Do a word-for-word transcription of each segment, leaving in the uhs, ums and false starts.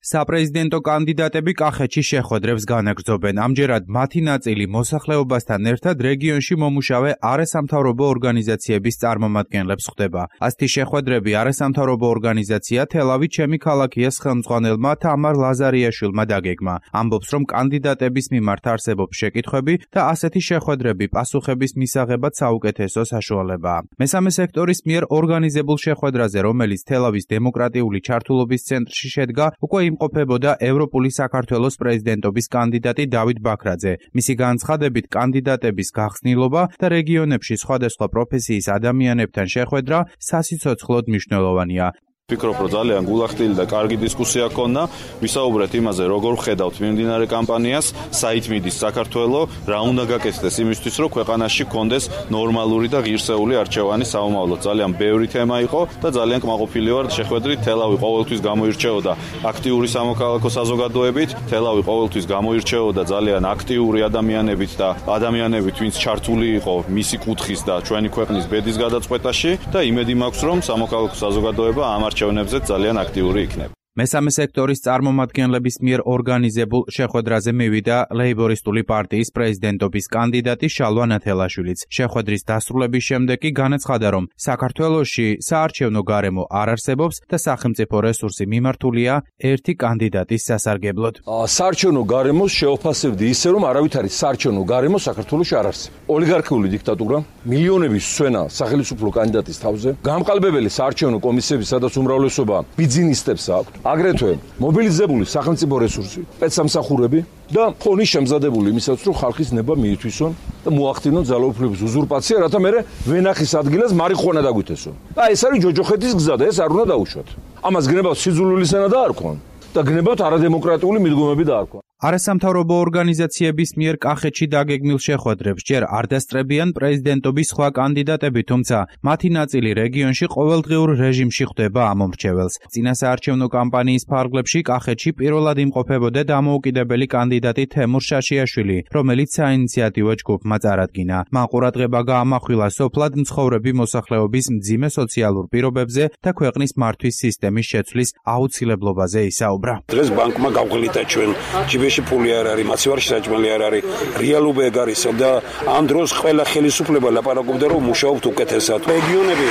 საპრეზიდენტო კანდიდატები კახეთში შეხვედრებს განაგრძობენ. ამჯერად მათი ნაწილი მოსახლეობასთან ერთად რეგიონში მომუშავე არასამთავრობო ორგანიზაციების წარმომადგენლებს ხვდება. ასეთი შეხვედრები არასამთავრობო ორგანიზაცია თელავი ჩემი ქალაქიას ხელმძღვანელმა თამარ ლაზარიაშვილმა დაგეგმა. ამბობს, რომ კანდიდატების მიმართ არსებობს შეკითხვები და ასეთი შეხვედრები პასუხების მისაღებად საუკეთესო საშუალებაა. მესამე სექტორის მიერ ორგანიზებულ შეხვედრაზე, რომელიც თელავის დემოკრატიული ჩართულობის ცენტრში შედგა, უკვე იმყოფებოდა ევროპული საქართველოს პრეზიდენტობის კანდიდატი დავით ბაქრაძე. მისი განცხადებით, კანდიდატების გახსნილობა და რეგიონებში სხვადასხვა პროფესიის ადამიანებთან შეხვედრა სასიცოცხლოდ მნიშვნელოვანია. ვფიქრობ, რომ ძალიან გულახდილი და კარგი დისკუსია ჰქონდა. ვისაუბრეთ იმაზე, როგორ ხედავთ მიმდინარე კამპანიას, საით მიდის საქართველო, რა უნდა გაკეთდეს იმისთვის, რომ ქვეყანაში გქონდეს ნორმალური და ღირსეული არჩევანი საომავლოდ. ძალიან ბევრი თემა იყო და ძალიან კმაყოფილი ვარ შეხვედრით. თელავი ყოველთვის გამოირჩეოდა აქტიური სამოქალაქო საზოგადოებით, თელავი ყოველთვის გამოირჩეოდა ძალიან აქტიური ადამიანებით და ადამიანებით, ვინც ჩართული იყო მისი კუთხის და ჩვენი ქვეყნის ბედის გადაწყვეტაში და იმედი მაქვს, რომ სამოქალაქო საზოგადოება ამ არჩევნებზე ძალიან აქტიური იქნება. მესამე სექტორის წარმომადგენლების მიერ ორგანიზებულ შეხვედრაზე მივიდა ლეიბორისტული პარტიის პრეზიდენტობის კანდიდატი შალვა ნათელაშვილიც. შეხვედრის დასრულების შემდეგ კი განაცხადა, რომ საქართველოში საარჩევნო გარემო არ არსებობს და სახელმწიფო რესურსი მიმართულია ერთი კანდიდატის სასარგებლოდ. საარჩევნო გარემოს შეოფასებდი ისე, რომ არავით არის საარჩევნო გარემო საქართველოში არ არსებობს. ოლიგარქიული დიქტატურა, მილიონების სვენა სახელმწიფო კანდიდატის თავზე, გამყალბებელი საარჩევნო კომისიები, სადაც უმრავლესობა ბიზნესებს აქვს. აგრეთვე მობილიზებული სახელმწიფო რესურსი, სპეცსამსახურები და ფონი შემზადებული იმისაც, რომ ხალხის ნება მიითვისონ და მოახდინონ ძალაუფლების უზურპაცია, რათა მერე ვენახის ადგილას მარიხუანა დაგვითესონ. და ეს არის ჯოჯოხეთის გზა და ეს არ უნდა დაუშვათ. ამას გნებავთ სიძულვილი სენა დაარქვან და გნებავთ არადემოკრატიული მიდგომები დაარქვან. არასამთავრობო ორგანიზაციების მიერ კახეთში დაგეგმილ შეხვედრებს ჯერ არ დასწრებიან პრეზიდენტობის სხვა კანდიდატები, თუმცა მათი ნაწილი რეგიონში ყოველდღიურ რეჟიმში ხვდება ამომრჩეველს. წინასაარჩევნო კამპანიის ფარგლებში კახეთში პირველად იმყოფებოდა დამოუკიდებელი კანდიდატი თემურ შაშიაშვილი, რომელიც საინიციატივო ჯგუფმა წარადგინა. მან ყურადღება გაამახვილა სოფლად მცხოვრები მოსახლეობის მძიმე სოციალურ პირობებზე და ქვეყნის მართვის სისტემის შეცვლის აუცილებლობაზე ისაუბრა. დღეს ბანკმა გავღლითა ჩვენ ჯიბეში ფული არ არის, მაცივარში საჭმელი არ არის, რეალობა ეგ არის და ამ დროს ყველა ხელისუფლება ლაპარაკობდა, რომ მუშაობთ უკეთესად. რეგიონები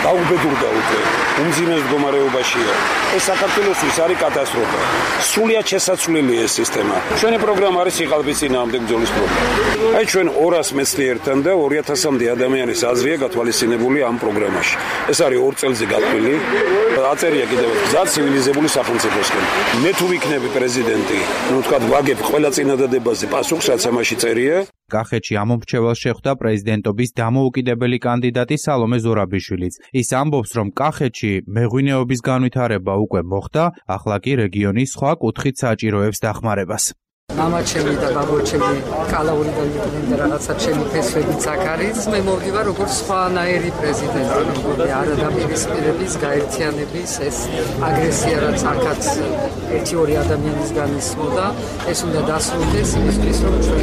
დაუბედურდა უკვე, უმძიმეს მდგომარეობაშია. ეს საქართველოსთვის არის კატასტროფა. სრულიად შესაძლებელი ეს სისტემა. ჩვენი პროგრამა არის სიყალბის წინააღმდეგ ბრძოლის პროგრამა. აი ჩვენ ორას მეცნიერთან და ორი ათასამდე ადამიანის აზრია გათვალისწინებული ამ პროგრამაში. ეს არის ორ წელზე გათვლილი. აწერია კიდევ გზა ცივილიზებული სახელმწიფოსკენ. მე თუ ვიქნები პრეზიდენტი, ну თქვა ვაგებ ყველა წინადადებაზე პასუხს, რაც ამაში წერია. კახეთში ამომრჩეველს შეხვდა პრეზიდენტობის დამოუკიდებელი კანდიდატი სალომე ზურაბიშვილიც. ის ამბობს, რომ კახეთში მეღვინეობის განვითარება უკვე მოხდა, ახლა კი რეგიონის სხვა კუთხით საჭიროებს დახმარებას. მამა ჩემი და ბაბო ჩემი კალაურიდან იყვნენ და რაღაცა ჩემი ფესვებიც აქ არის. მე მოვდივარ როგორც სხვანაირი პრეზიდენტი, როგორი არადაპირისპირების, გაერთიანების, ეს აგრესია, რაც აქაც ერთი ორი ადამიანის განისმოდა, ეს უნდა დასრულდეს იმისთვის, რომ ჩვენ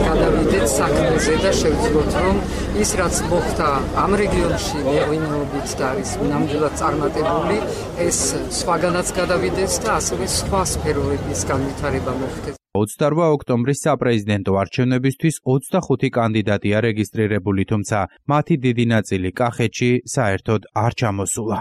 გადავიდეთ საქმეზე და შევძლოთ, რომ ის რაც მოხდა ამ რეგიონში მეღვინეობით და არის ნამდვილად წარმატებული, ეს სხვაგანაც გადავიდეს და ასევე სხვა სფეროების განვითარება მოხდეს. ოცდაორმა ოქტომბრის საპრეზიდენტო არჩევნებისთვის ოცდახუთი კანდიდატია რეგისტრირებული, თუმცა მათი დიდი ნაწილი კახეთში საერთოდ არ ჩამოსულა.